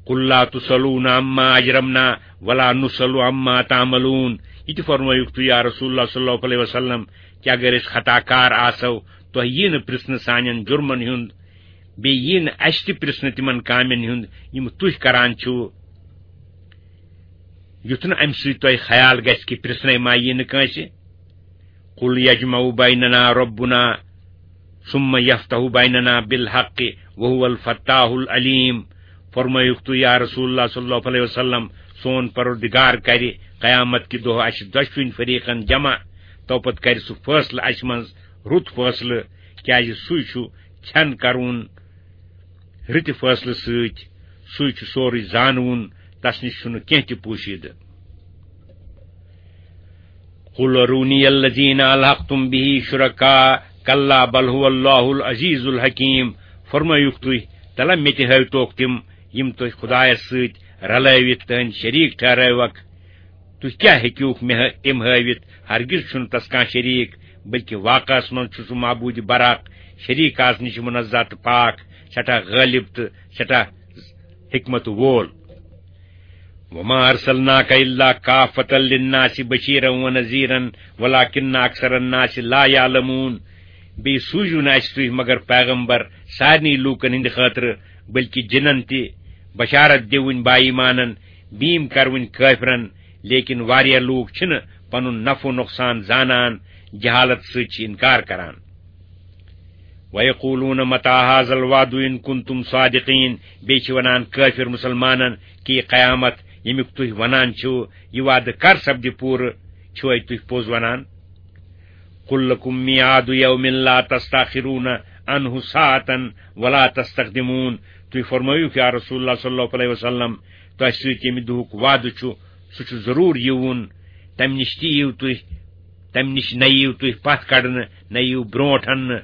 قل لا تسألون عما أجرمنا ولا نسأل عما تعملون۔ یہِ تہِ فرمٲیِکھ تُہۍ یا رسول اللہ صلی اللہ علیہ وسلم کہ اگر أسۍ خطا کار آسو، تۄہہِ یی نہٕ پرژھنہٕ سانٮ۪ن جُرمن ہُنٛد، بیٚیہِ یی نہٕ اَسہِ تہِ پرژھنہٕ تِمن کامٮ۪ن ہُنٛد یِم تُہۍ کران چھِو۔ یُتھ نہٕ اَمہِ سۭتۍ تۄہہِ خیال گژھِ کہِ پرژھنَے ما یی نہٕ کٲنٛسہِ۔ قل یجمع بیننا ربنا ثم یفتح بیننا بالحق وهو الفتاح العلیم۔ فرمٲیِکھ تُہۍ یا رسول اللہ صلی اللہ علیہ وسلم، سون پروردگار کرِ قیامت کہِ دۄہ اَسہِ دۄشوٕنۍ فریقن جمع، تو پتہٕ کرِ سُہ فٲصلہٕ اَسہِ منٛز رُت فٲصلہٕ، کیازِ سُے چھُ ژھٮ۪ن کرُن رٕتہِ فٲصلہٕ سۭتۍ، سُے چھُ سورُے زانوُن، تس نِش چھُنہٕ کینٛہہ تہِ پوشیدٕ۔ قل ارونی الذین الحقتم به شرکاء کلا بل هو اللہ العزیز الحکیم۔ فرمٲیِکھ تُہۍ، تلہ مےٚ تہِ ہٲوتوکھ تِم، یِم تُہۍ خدایس سۭتۍ رلٲوِتھ تہنٛدۍ شریٖک ٹھہرٲوکھ۔ تُہۍ کیٛاہ ہیٚکِوکھ مےٚ تِم ہٲوِتھ؟ ہرگز چھُنہٕ تس کانٛہہ شریٖک، بلکہِ واقعس منٛز چھُ سُہ معبوٗدِ برحق شریٖک آسنہٕ نِش منزہ تہٕ پاک، سٮ۪ٹھاہ غٲلب تہٕ سٮ۪ٹھاہ حکمت وول۔ وما ارسلناک الا کافة للناس بشیرا ونذیرا ولکن اکثر الناس لا یعلمون۔ بیٚیہِ سوٗزِو نہٕ اَسہِ تُہۍ مگر پیغمبر سارنٕے لوٗکن ہٕنٛدِ خٲطرٕ، بلکہِ جِنن تہِ، بشارت دِوٕنۍ با ایمانن، بیٖم کرٕوٕنۍ کٲفرن، لیکن واریاہ لوٗکھ چھِنہٕ پنُن نفع و نۄقصان زانان، جہالت سۭتۍ چھِ انکار کران۔ وَيَقُولُونَ مَتَىٰ هَٰذَا الْوَعْدُ إِن كُنتُمْ صَادِقِينَ۔ بیٚیہِ چھِ وَنان کٲفِر مُسلمانَن کہِ یہِ قیامت، ییٚمیُک تُہۍ وَنان چھِو، یہِ وعدٕ کَر سَپدِ پوٗرٕ؟ چھِوَے تُہۍ پوٚز وَنان؟ قُل لَّكُم مِّيعَادُ يَوْمٍ لَّا تَسْتَأْخِرُونَ عَنْهُ سَاعَةً وَلَا تَسْتَقْدِمُونَ۔ تُہۍ فرمٲیِو، یا رسول اللہ صلی اللہ علیہ وسلم، تۄہہِ سۭتۍ ییٚمہِ دُہُک وعدٕ چھُ، سُہ چھُ ضروٗر یِوُن۔ تَمہِ نِش تہِ یِیِو تُہۍ، تَمہِ نِش نہ یِیِو تُہۍ پَتھ کَڑنہٕ، نہ یِیِو برونٛٹھ اَننہٕ۔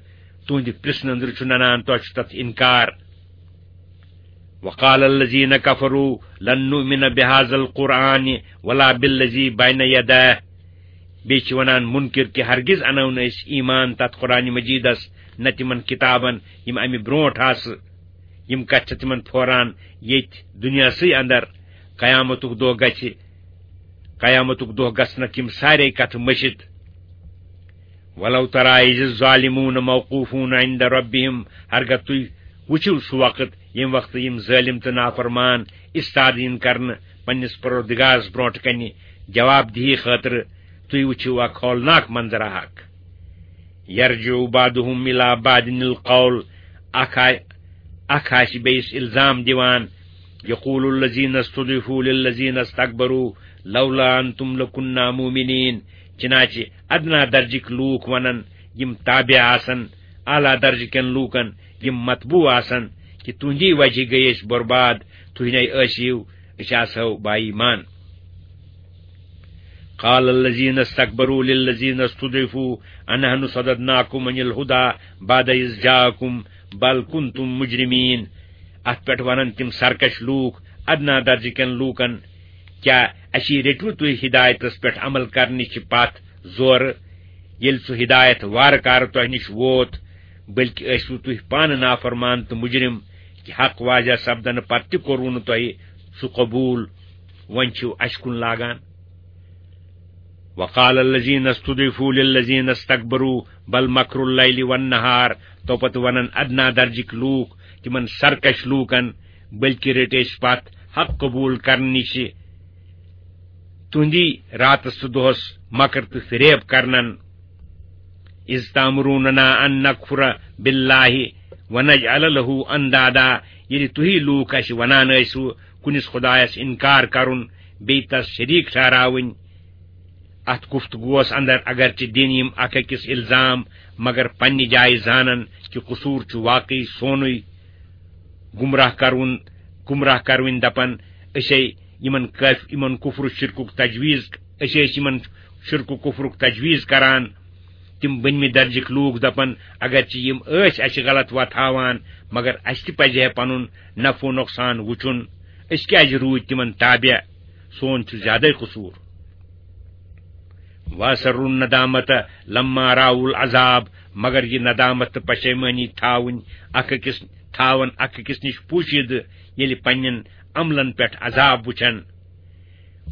تُہٕنٛدِ پرٛژھنہٕ أنٛدرٕ چھُ نَنان، تۄہہِ چھُ تَتھ اِنکار۔ وَقَالَ الَّذِينَ كَفَرُوا لَن نُّؤْمِنَ بِهَٰذَا الْقُرْآنِ وَلَا بِالَّذِي بَيْنَ يَدَيْهِ۔ بیٚیہِ چھِ وَنان مُنکِر کہِ ہرگِز اَنو نہٕ أسۍ ایمان تَتھ قرآنِ مجیٖدَس، نہ تِمَن کِتابَن یِم اَمہِ برونٛٹھ آسہٕ۔ یِم کَتھٕ چھِ تِمَن پھوران ییٚتہِ دُنیاہسٕے اَندَر۔ قیامتُک دۄہ گژھِ، قیامتُک دۄہ گژھنَکھ یِم سارے کَتھٕ مٔشِتھ۔ وَلَوْ تَرَىٰ إِذِ الظَّالِمُونَ مَوْقُوفُونَ عِندَ رَبِّهِمْ۔ ہرگاہ تُہۍ وٕچھِو سُہ وقت، ییٚمہِ وقتہٕ یِم ظٲلِم تہٕ نافرمان اِستاد یِن کرنہٕ پننِس پروردگارس برونٛٹھ کنہِ جواب دِہی خٲطرٕ، تُہۍ وٕچھِو اکھ ہولناک منظرا اکھ۔ یرجع بعضهم الی بعض القول، اکھ آ-، اکھ آسہِ بیٚیِس الزام دِوان۔ یقول الذین استضعفوا للذین استکبروا لولا انتم لکنا مؤمنین۔ چنانچہ ادنا درجٕکۍ لوٗکھ ونن، یِم تابع آسن اعلیٰ درجہٕ کٮ۪ن لوٗکن، یِم متبوع آسن، کہِ تُہندی وجہ گٔے أسۍ برباد، تُہۍ نے ٲسِو، أسۍ آسہو با ایمان۔ قال الذين استكبروا للذين استضعفوا أنحن صددناكم عن الهدى بعد إذ جاءكم بل كنتم مجرمين۔ اتھ پٮ۪ٹھ ونن تِم سرکش لوٗکھ ادنا درجہٕ کٮ۪ن لوٗکن، کیا اسی رٔٹوٕ تُہۍ ہدایتس پٮ۪ٹھ عمل کرنٕچ پتھ زورٕ، ییٚلہِ سُہ ہدایت وارٕ کارٕ تۄہہِ نِش ووت، بلکہِ ٲسِو تُہۍ پانہٕ نافرمان تہٕ مجرم، کہِ حق واضح سپدنہٕ پتہٕ تہِ کوٚروٕ نہٕ تۄہہِ سُہ قبول۔ وۄنۍ چھِو اَسہِ کُن لاگان۔ وقال الذين استضعفوا للذين استكبروا بل مكر الليل والنهار۔ تو پتہٕ ونن ادنا درجٕکۍ لوٗکھ تِمن سرکش لوٗکن، بلکہِ رٔٹۍ أسۍ پتھ حق قبول کرنہٕ نِش تُہندی راتس تہٕ دۄہس مکر تہٕ فریب کرنن۔ اذ تامروننا ان نکفر باللہ ونجعل له اندادا، ییٚلہِ تُہی لوٗکھ اَسہِ ونان ٲسِو کُنِس خدایس انکار کرُن، بیٚیہِ تس شریٖک ٹھہراوٕنۍ۔ اتھ گفتگوس اندر اگرچہ دِن یِم اکھ أکِس الزام، مگر پننہِ جایہِ زانن کہِ قصوٗر چھُ واقعی سونُے۔ گمراہ کرون، گمراہ کروٕنۍ دپان، أسے یِمن کف-، یِمن کفر و شرکُک تجویز، أسۍ ٲسۍ یِمن شرک و کفرُک تجویز کران۔ تِم بٔنمہِ درجٕکۍ لوٗکھ دپان، اگرچہ یِم ٲسۍ اَسہِ غلط وتھ ہاوان، مگر اَسہِ تہِ پزِ ہے پنُن نفع و نۄقصان وُچھُن۔ أسۍ کیازِ روٗدۍ تِمن تابع؟ سون چھُ زیادَے قصوٗر۔ واسروا الندامة لما رأوا العذاب، مگر یہِ ندامت تہٕ پشیمٲنی تھاوٕنۍ اکھ أکِس، تھاوان اکھ أکِس نِش پوٗشیدٕ، ییٚلہِ پننٮ۪ن عملن پٮ۪ٹھ عذاب وٕچھن۔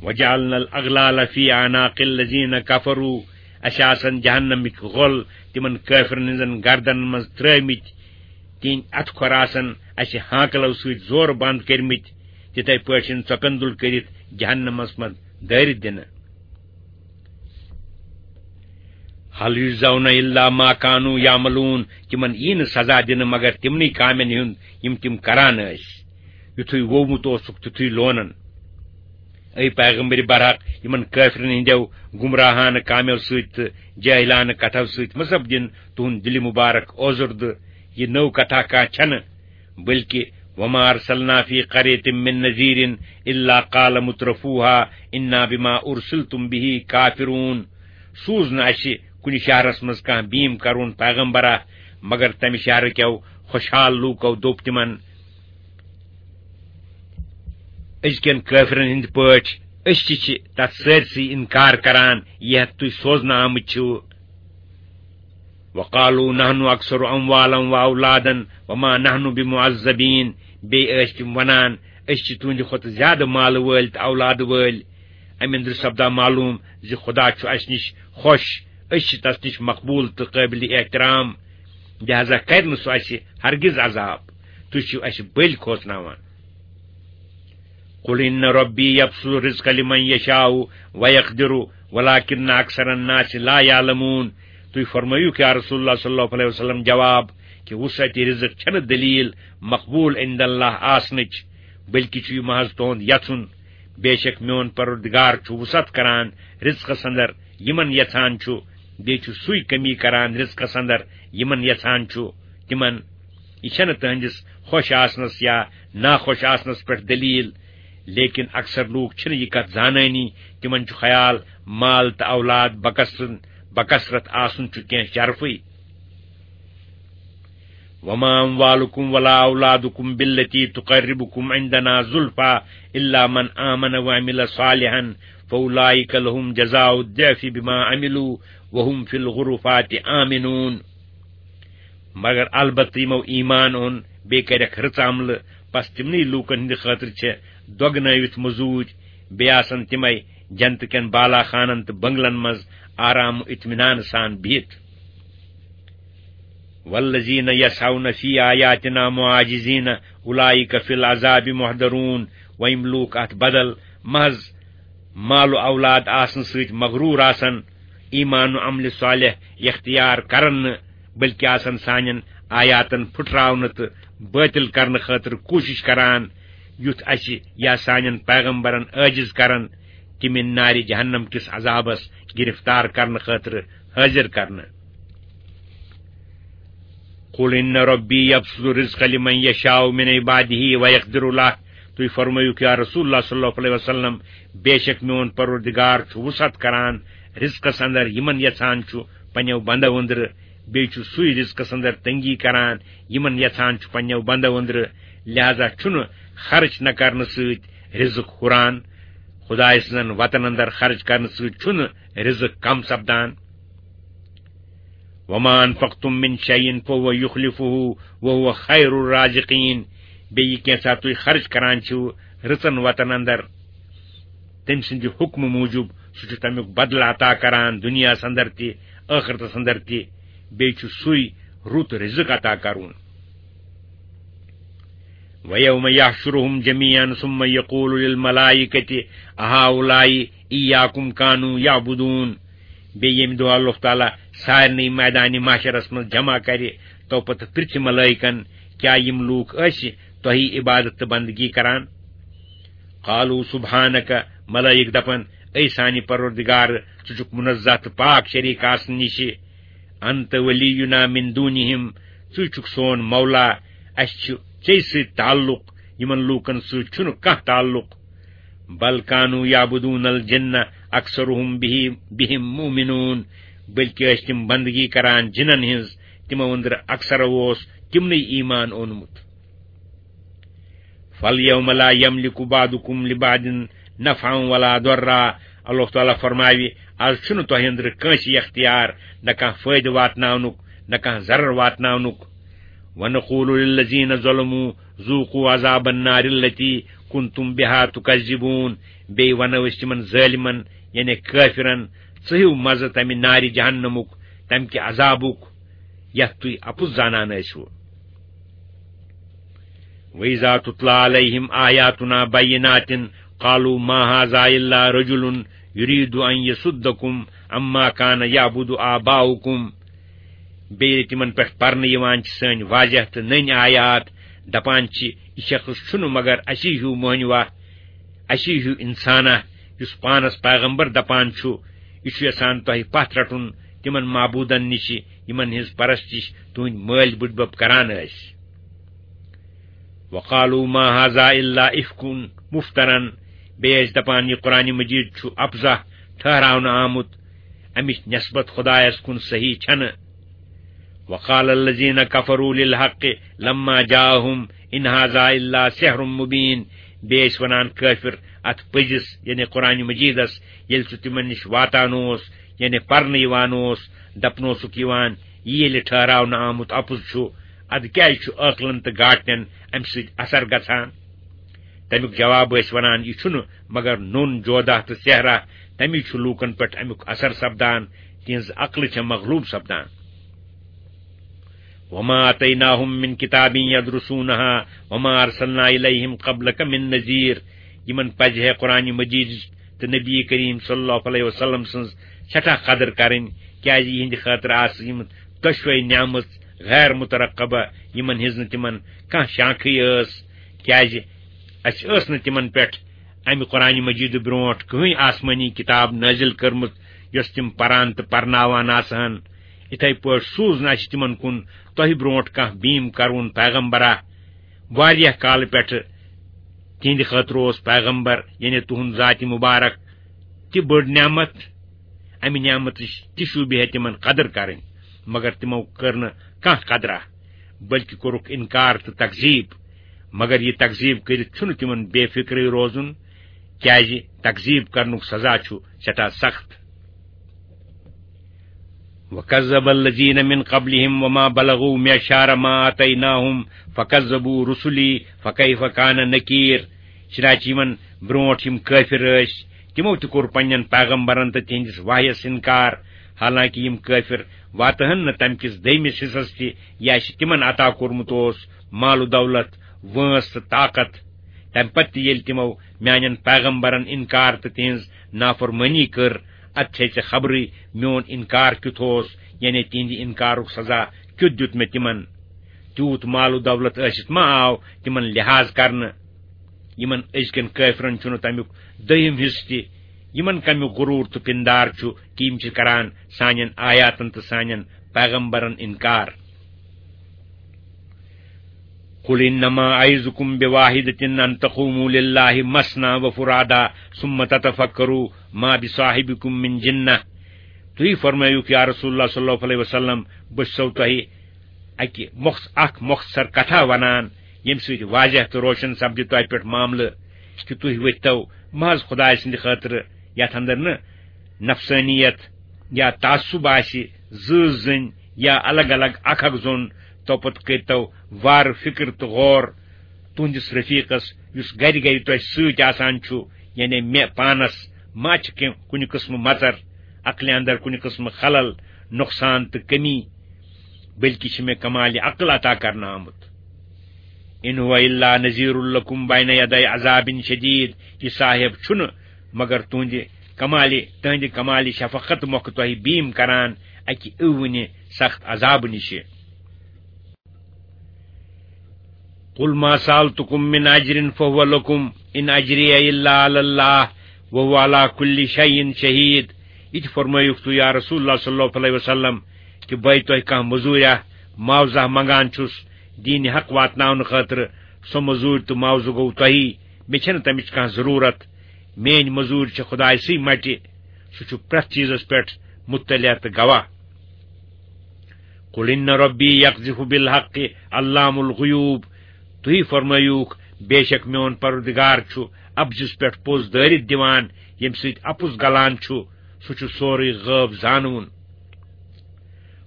وجعلنا الاغلال في اعناق الذين كفروا، اسہِ آسن جہنمٕکۍ غۄل تِمن کٲفرن ہٕنٛزن گردنن منٛز ترٲومٕتۍ، تِہنٛدۍ اتھٕ کھۄر آسن اسہِ ہانکلو سۭتۍ زورٕ بند کٔرمٕتۍ، تِتھے پٲٹھۍ ژۄکن دُل کٔرِتھ جہنمس منٛز دٲرِتھ دِنہٕ۔ هل يجزون إلا ما كانوا يعملون، تِمن یی نہٕ سزا دِنہٕ مگر تِمنٕے کامٮ۪ن ہُنٛد یِم تِم کران ٲسۍ۔ یُتھُے وومُت اوسُکھ، تِتھُے لونن۔ اے پیغمبر برحق، یِمن کٲفرن ہٕنٛدیو گمراہانہٕ کامیو سۭتۍ تہٕ جٲہلانہٕ کتھو سۭتۍ مہ سپدِن تُہُنٛد دِلہِ مُبارک اوزُردٕ۔ یہِ نٔو کتھا کانٛہہ چھنہٕ، بلکہ وما ارسلنا في قرية من نذير إلا قال مترفوها إنا بما أرسلتم به كافرون۔ سوٗز نہٕ اسہِ کُنہِ شہرس منٛز کانٛہہ بیٖم کرون پیغمبرا، مگر تمہِ شہرٕ کٮ۪و خۄشحال لوٗکو دوٚپ تِمن، أزکٮ۪ن کٲفرن ہٕنٛدۍ پٲٹھۍ، أسۍ تہِ چھِ تتھ سٲرسٕے انکار کران، یتھ تُہۍ سوزنہٕ آمٕتۍ چھِو۔ وقالوا نحن أكثر أموالا وأولادا وما نحن بمعذبين۔ بیٚیہِ ٲسۍ تِم ونان، أسۍ چھِ تُہٕنٛدِ کھۄتہٕ زیادٕ مالہٕ وٲلۍ تہٕ اولادٕ وٲلۍ۔ اَمہِ اندرٕ سپداو معلوم زِ خدا چھُ اَسہِ نِش خۄش، أسۍ چھِ تَس نِش مقبوٗل تہٕ قٲبلِ احترام، لہذا کَرِ نہٕ سُہ اَسہِ ہرگز عذاب۔ تُہۍ چھِو اَسہِ بٔلۍ کھوژناوان۔ قل ان ربی یبسط الرزق لمن یشاء ویقدر ولکن اکثر الناس لا یعلمون۔ تُہۍ فرمٲیِو کہ یا رسول اللہ صلی اللہ علیہ وسلم جواب کہ وسعت رزق چھنہٕ دلیل مقبول عند اللہ آسنٕچ، بلکہ چھُ یہِ محض تُہُنٛد یژھُن۔ بے شک میون پروردگار چھُ وسعت کران رزقس اندر یمن یژھان چھُ، بیٚیہِ چھُ سُے کمی کران رزقس اندر یمن یژھان چھُ تمن۔ یہِ چھنہٕ تہنٛدِس خۄش آسنس یا ناخۄش آسنس پٮ۪ٹھ دلیل، لیکن اکثر لوٗکھ چھِنہٕ یہِ کتھ زانٲنی۔ تمن چھُ خیال مال تہٕ اولاد بکثرن-، بکثرت آسُن چھُ کینٛہہ شرفٕے۔ وما اموالکم ولا اولادکم بالتی تقربکم عندنا زلفا الا من آمن وعمل صالحا فاولئک لهم جزاء الضعف بما عملوا وهم فی الغرفات آمنون۔ مگر البتہ یِمو ایمان اوٚن، بیٚیہِ کَرٮ۪کھ رٕژ عملہٕ، پس تِمنٕے لوٗکن ہٕنٛدِ خٲطرٕ چھےٚ دۄگنٲوِتھ مٔزوٗرۍ، بیٚیہِ آسن تِمے جنتہٕ کٮ۪ن بالا خانن تہٕ بنگلن منٛز آرام و اطمینان سان بِہِتھ۔ والذین یسعون فی آیاتنا معاجزین اولئک فی العذاب محضرون۔ و یِم لوٗکھ اتھ بدل محض مال و اولاد آسنہٕ سۭتۍ مغروٗر آسن، ایمان و عمل صالح اختیار کرن نہٕ، بلکہ آسن سانٮ۪ن آیاتن پھُٹراونہٕ تہٕ بٲطل کرنہٕ خٲطرٕ کوٗشش کران، یُتھ اسہِ یا سانٮ۪ن پیغمبرن عٲجز کرن، تِم یِن نارِ جہنم کِس عذابس گرفتار کرنہٕ خٲطرٕ حٲضِر کرنہٕ۔ قل ان ربی یبسط الرزق لمن یشاء من عباده ویقدر له۔ تُہۍ فرمٲیِو کہ یا رسول اللہ صلی اللہ علیہ وسلم، بے شک میون پروردگار چھُ وسعت کران رزقس اندر یِمن یژھان چھُ پننیو بندو اندرٕ، بیٚیہِ چھُ سُے رزقس اندر تنگی کران یِمن یژھان چھُ پننیو بندو اندرٕ۔ لہذا چھُنہٕ خرچ نہ کرنہٕ سۭتۍ رزق ہُران، خدایہِ سٕنٛزن وتن اندر خرچ کرنہٕ سۭتۍ چھُنہٕ رزق کم سپدان۔ وما انفقتم من شيء فهو يخلفه وهو خير الرازقين۔ بیٚیہِ کینٛژھا تُہۍ خرچ کران چھِو رٕژن وتن اندر، تٔمۍ سٕنٛدِ حُکمہٕ موٗجوٗب، سُہ چھُ تَمیُک بدلہٕ عطا کران دُنیاہَس اندر تہِ، ٲخرتَس اندر تہِ۔ بیٚیہِ چھُ سُے رُت رِزق عطا کرُن۔ وَيَوْمَ يَحْشُرُهُمْ جَمِيعًا ثُمَّ يَقُولُ لِلْمَلَائِكَةِ أَهَٰؤُلَاءِ إِيَّاكُمْ كَانُوا يَعْبُدُونَ۔ بیٚیہِ ییٚمہِ دۄہ اللہ تعالیٰ سارنٕے میدانِ محشرَس منٛز جمع کرِ، تو پتہٕ پرژھِ ملائکن، کیٛاہ یِم لوٗکھ ٲسۍ تۄہہِ عبادت تہٕ بندگی کران؟ قالوا سبحانك، ملائک دپن، اے سانہِ پروردگار، ژٕ چھُکھ منزہ تہٕ پاک شریک آسنہٕ نِشہِ۔ انت ولینا من دونهم، ژٕے چھُکھ سون مولا، اسہِ چھُ ژے سۭتۍ تعلق، یِمن لوٗکن سۭتۍ چھُنہٕ کانٛہہ تعلق۔ بل كانوا يعبدون الجن اكثرهم به بهم مؤمنون، بلکہ ٲسۍ تِم بندگی کران جِنن ہٕنٛز، تِمو أنٛدرٕ اکثر اوس تِمنٕے ایمان اوٚنمُت۔ فَالْيَوْمَ لَا يَمْلِكُ بَعْضُكُمْ لِبَعْضٍ نَفْعًا وَلَا ضَرًّا۔ اللہ تعالیٰ فرماوِ، از چھُنہٕ تۄہہِ أنٛدرٕ کٲنٛسہِ اختیار، نہ کانٛہہ فٲیدٕ واتناونُک، نہ کانٛہہ ضرر واتناونُک۔ وَنَقُولُ لِلَّذِينَ ظَلَمُوا ذُوقُوا عَذَابَ النَّارِ الَّتِي كُنتُمْ بِهَا تُكَذِّبُونَ۔ بیٚیہِ وَنو أسۍ تِمن ظٲلمن، یعنی کٲفرن، ژٕ ہیٚیِو مَزٕ تَمہِ نارِ جہنمُک، تَمہِ کہِ عذابُک، یَتھ تُہۍ اَپُز زانان ٲسِو۔ وَإِذَا تُتْلَىٰ عَلَيْهِمْ آيَاتُنَا بَيِّنَاتٍ قَالُوا مَا هَٰذَا إِلَّا رَجُلٌ يُرِيدُ أَن يَصُدَّكُمْ عَمَّا كَانَ يَعْبُدُ آبَاؤُكُمْ۔ بیٚیہِ ییٚلہِ تِمن پٮ۪ٹھ پرنہٕ یِوان چھِ سٲنۍ واضح تہٕ نٔنۍ آیات، دپان چھِ، یہِ شخص چھُنہٕ مگر اَسی ہیوٗ مۄہنِوا، اَسی ہیوٗ اِنسانا، یُس پانس پیغمبر دپان چھُ، یہِ چھُ یژھان تۄہہِ پتھ رٹُن تِمن معبوٗدن نِشہِ، یِمن ہٕنٛز پرستش تُہٕنٛدۍ مٲلۍ بٕڈبب کران ٲسۍ۔ وَقَالُوا مَا هَٰذَا إِلَّا إِفْكٌ مُفْتَرًى۔ بیٚیہِ ٲسۍ دَپان، یہِ قرآنِ مجیٖد چھُ اَپزا ٹھٔہراونہٕ آمُت، اَمِچ نٮ۪سبت خۄدایَس کُن صحیح چھَنہٕ۔ وَقَالَ الَّذِينَ كَفَرُوا لِلْحَقِّ لَمَّا جَاءَهُمْ إِنْ هَٰذَا إِلَّا سِحْرٌ مُبِينٌ۔ بیٚیہِ ٲسۍ وَنان کٲفِر اَتھ پٔزِس، یعنی قرآنِ مجیٖدَس، ییٚلہِ سُہ تِمَن نِش واتان اوس، یعنی پَرنہٕ یِوان اوس، دَپنہٕ اوسُکھ یِوان، یہِ ییٚلہِ ٹھٔہراونہٕ آمُت اَپُز چھُ، اَدٕ کیٛازِ چھُ عٲقلَن تہٕ گاٹنٮ۪ن اَمہِ سۭتۍ اثر گژھان؟ تمیُک جواب ٲسۍ ونان، یہِ چھُنہٕ مگر نوٚن، جودہ تہٕ صحرا، تمی چھُ لوٗکن پٮ۪ٹھ امیُک اثر سپدان، تِہنٛز عقلہٕ چھےٚ مغلوب سپدان۔ وما آتیناہم من کتاب یدرسونہا وما ارسلنا الیہم قبلک من نذیر۔ یِمن پزِ ہے قرآن مجید تہٕ نبی کریم صلی اللہ علیہ وسلم سٕنٛز سٮ۪ٹھاہ قدر کرٕنۍ، کیازِ یِہنٛدِ خٲطرٕ آسہٕ یِم دۄشوے نعمت غیر مترقبہ، یِمن ہٕنٛز نہٕ تِمن کانٛہہ شانکھٕے ٲس، کیازِ اسہِ ٲس نہٕ تِمن پٮ۪ٹھ امہِ قرآن مجیدٕ برونٛٹھ کٕہٕنۍ آسمٲنی کتاب نٲزِل کٔرمٕژ، یۄس تِم پران تہٕ پرناوان آسہٕ ہن۔ یِتھے پٲٹھۍ سوٗز نہٕ اسہِ تِمن کُن تۄہہِ برونٛٹھ کانٛہہ بیٖم کرون پیغمبرا۔ واریاہ کالہٕ پٮ۪ٹھٕ تِہنٛدِ خٲطرٕ اوس پیغمبر، یعنی تُہُنٛد ذاتِ مُبارک، تہِ بٔڑ نعمت۔ امہِ نعمتٕچ تہِ شوٗبہِ ہے تِمن قدر کرٕنۍ، مگر تِمو کٔر نہٕ کانٛہہ قدرا، بلکہِ کوٚرُکھ انکار تہٕ تکذیب۔ مگر یہِ تکذیب کٔرِتھ چھُنہٕ تِمن بے فکرٕے روزُن، کیازِ تکذیب کرنُک سزا چھُ سٮ۪ٹھاہ سخت۔ وَكَذَّبَ الَّذِينَ مِن قَبْلِهِمْ وَمَا بَلَغُوا مِعْشَارَ مَا آتَيْنَاهُمْ فَكَذَّبُوا رُسُلِي فَكَيْفَ كَانَ نَكِيرِ۔ چنانچہ یِمن برونٛٹھ یِم کٲفر ٲسۍ، تِمو تہِ کوٚر پننٮ۪ن پیغمبرن تہٕ تِہنٛدِس وحیس انکار، حالانکہ یِم کٲفر واتہٕ ہن نہٕ تمہِ کِس دوٚیمِس حصس تہِ، یہِ اسہِ تِمن عطا کوٚرمُت اوس، مال و دولت، وٲنٛس تہٕ طاقت۔ تمہِ پتہٕ تہِ ییٚلہِ تِمو میانٮ۪ن پیغمبرن انکار تہٕ تِہنٛز نافرمٲنی کٔر، ادٕ چھے ژےٚ خبرٕے میون انکار کیُتھ اوس، یعنی تِہنٛدِ انکارُک سزا کیُتھ دیُت مےٚ تِمن۔ تیوٗت مال و دولت ٲسِتھ ما آو تِمن لحاظ کرنہٕ؟ یِمن أزکٮ۪ن کٲفرن چھُنہٕ تمیُک دوٚیِم حصہٕ تہِ۔ یِمن کمیُک غرور تہٕ پِندار چھُ کہِ یِم چھِ کران سانٮ۪ن آیاتن تہٕ سانٮ۪ن پیغمبرن انکار؟ قل انما اعظکم بواحدۃ ان تقوموا للہ مثنی و فرادا ثم تتفکروا ما بصاحبکم من جنہ۔ تُہی فرمٲیُکھ یا رسول اللہ صلی اللہ علیہ وسلم، بہٕ چھسو تۄہہِ اکہِ مۄخص-، اکھ مۄختصر کتھا ونان، ییٚمہِ سۭتۍ واضح تہٕ روشن سپدِ تۄہہِ پٮ۪ٹھ معاملہٕ کہِ تُہۍ ؤتھتو محض خدایہِ سٕنٛدِ خٲطرٕ، یتھ اندر نہٕ نفسانیت یا تعصب آسہِ، زۭز زٔنۍ یا الگ الگ اکھ اکھ زوٚن، توپتہٕ کٔرۍتو وارٕ فکر تہٕ غور تُہنٛدِس رفیقس، یُس گرِ گرِ تۄہہِ سۭتۍ آسان چھُ، یعنی مےٚ پانس، ما چھِ کینٛہہ کُنہِ قٕسمہٕ مژر، عقلہِ اندر کُنہِ قٕسمہٕ خلل، نۄقصان تہٕ کمی، بلکہِ چھِ مےٚ کمالِ عقل عطا کرنہٕ آمُت۔ ان هو الا نذیر لکم بین یدی عذاب شدید، یہِ صاحب چھُنہٕ مگر تُہنٛدِ کمالِ، تُہنٛدِ کمالِ شفقت مۄکھٕ تۄہہِ بیٖم کران اکہِ ٲوٕنہِ سخت عذابہٕ نِشہِ۔ قل ما سألتكم من أجر فهو لكم إن أجري إلا على الله وهو على كل شيء شهيد۔ یہِ تہِ فرمٲیُکھ تُہۍ یا رسول اللہ صلی اللہ علیہ وسلم کہِ بے تۄہہِ کانٛہہ مٔزوٗریا معاوضہ منگان چھُس دیٖنِ حق واتناونہٕ خٲطرٕ، سۄ مٔزوٗرۍ تہٕ معاوضہٕ گوٚو تۄہی، مےٚ چھَنہٕ تَمِچ کانٛہہ ضروٗرت۔ میٛٲنۍ مٔزوٗرۍ چھےٚ خۄداے سٕے مَٹہِ، سُہ چھُ پرٛٮ۪تھ چیٖزس پٮ۪ٹھ مطلع تہٕ گواہ۔ قل ان ربی یقذف بالحق علام الغیوب۔ تُہی فرمٲیوکھ، بے شک میون پروردگار چھُ اپزِس پٮ۪ٹھ پوٚز دٲرِتھ دِوان، ییٚمہِ سۭتۍ اپُز گلان چھُ، سُہ چھُ سورُے غٲب زانوُن۔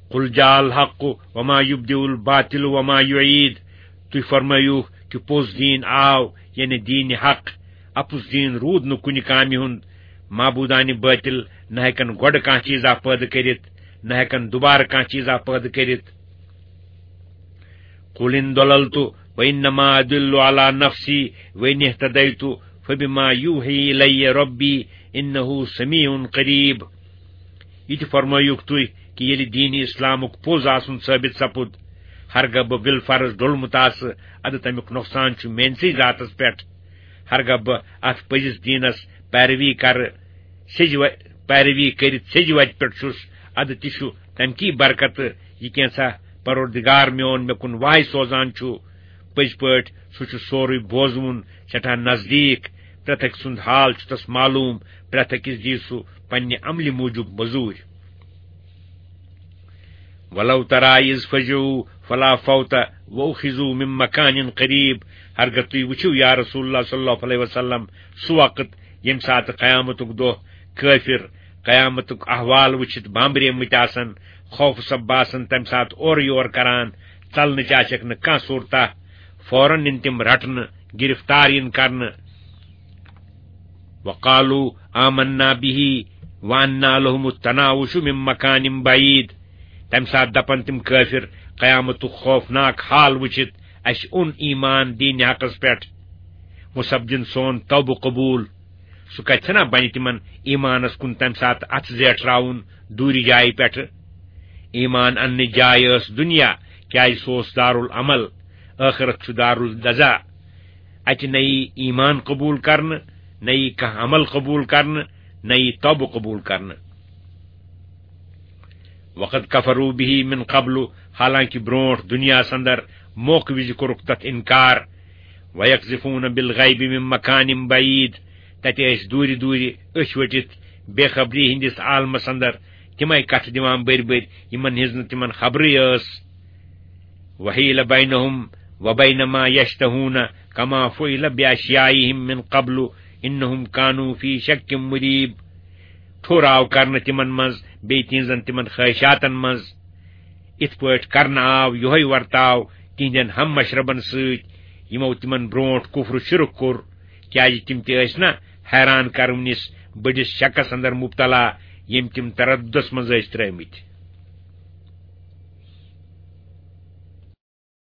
قل جاء الحق وما یبدئ الباطل وما یعید۔ تُہۍ فرمٲیوکھ کہِ پوٚز دیٖن آو، یعنی دیٖنِ حق، اپُز دیٖن روٗد نہٕ کُنہِ کامہِ ہُنٛد۔ معبوٗدانِ بٲطِل نہ ہٮ۪کن گۄڈٕ کانٛہہ چیٖزا پٲدٕ کٔرِتھ، نہ ہٮ۪کن دُبارٕ کانٛہہ چیٖزا پٲدٕ کٔرِتھ۔ قل ان ضللت فانما اضل علی نفسی وان اہتدیت فبما یوحی الی ربی انہ سمیع قریب۔ یہِ تہِ فرمٲیوکھ تُہۍ کہِ ییٚلہِ دیٖنِ اسلامُک پوٚز آسُن ثٲبت سپُد، ہرگاہ بہٕ بالفرض ڈوٚلمُت آسہٕ، ادٕ تمیُک نۄقصان چھُ میٲنسٕے ذاتس پٮ۪ٹھ۔ ہرگاہ بہٕ اتھ پٔزِس دیٖنس پیروی کرٕ، سیٚزِ و-، پیروی کٔرِتھ سیٚزِ وتہِ پٮ۪ٹھ چھُس، ادٕ تہِ چھُ تمکی برکتہٕ یہِ کینٛژھا پروردگار میون مےٚ کُن وحی سوزان چھُ۔ پٔزۍ پٲٹھۍ سُہ چھُ سورُے بوزوُن، سٮ۪ٹھاہ نزدیٖک۔ پرٛٮ۪تھ أکۍ سُنٛد حال چھُ تس معلوٗم، پرٛٮ۪تھ أکِس دِیہِ سُہ پننہِ عملہِ موٗجوٗب مٔزوٗرۍ۔ ولو ترى اذ فزعوا فلا فوت واخذوا من مكان قريب۔ ہرگاہ تُہۍ وٕچھِو یا رسول اللہ صلی اللہ علیہ وسلم سُہ وقت ییٚمہِ ساتہٕ قیامتُک دۄہ کٲفِر قیامتُک احوال وٕچھِتھ بامبریمٕتۍ آسن، خوف سببہٕ آسن تمہِ ساتہٕ اورٕ یور کران، ژلنٕچ آسٮ۪کھ نہٕ کانٛہہ صوٗرتہ، فوراً نِن تِم رٹنہٕ، گرفتار یِن کرنہٕ۔ وقالوا آمنا به وأنى لهم التناوش من مكان بعيد۔ تمہِ ساتہٕ دپن تِم کٲفر، قیامتُک خوفناک حال وٕچھِتھ، "اسہِ اوٚن ایمان دین حقس پٮ۪ٹھ، وۄنۍ سپدِن سون توبہٕ قبول۔" سُہ کتہِ سنا بنہِ تِمن ایمانس کُن تمہِ ساتہٕ اتھٕ زیٹھراوُن دوٗرِ جایہِ پٮ۪ٹھٕ؟ ایمان اننٕچ جاے ٲس دُنیا، کیازِ سُہ اوس دارالعمل، ٲخرت چھُ دارالجزا۔ اتہِ نہ یی ایمان قبول کرنہٕ، نہ یی کانٛہہ عمل قبول کرنہٕ، نہ یی توبہٕ قبول کرنہٕ۔ وقد كفروا به من قبل، حالانکہ برونٹھ دنیاہس اندر موقعہٕ وِزِ کوٚرُکھ تتھ انکار۔ ويقذفون بالغيب من مكان بعيد، تتہِ ٲسۍ دوٗرِ دوٗرِ أچھ ؤٹِتھ بے خبری ہٕنٛدِس عالمس اندر تِمے کتھٕ دِوان بٔرۍ بٔرۍ، یِمن ہٕنٛز نہٕ تِمن خبرٕے ٲس۔ وحيل بينهم وبين ما يشتهون كما فعل بأشياعهم من قبل إنهم كانوا في شك مريب۔ ٹھوراو کرنہٕ تِمن منٛز بیٚیہِ تِہنٛزن تِمن خٲہِشاتن منٛز، یِتھ پٲٹھۍ کرنہٕ آو یِہوٚے ورتاو تِہنٛدٮ۪ن ہم مشربن سۭتۍ، یِمو تِمن برونٹھ کفر و شرک کوٚر، کیازِ تِم تہِ ٲسۍ نہ حیران کرونِس بٔڑِس شکس اندر مبتلا، ییٚمۍ تِم ترددس منٛز ٲسۍ ترٲومٕتۍ۔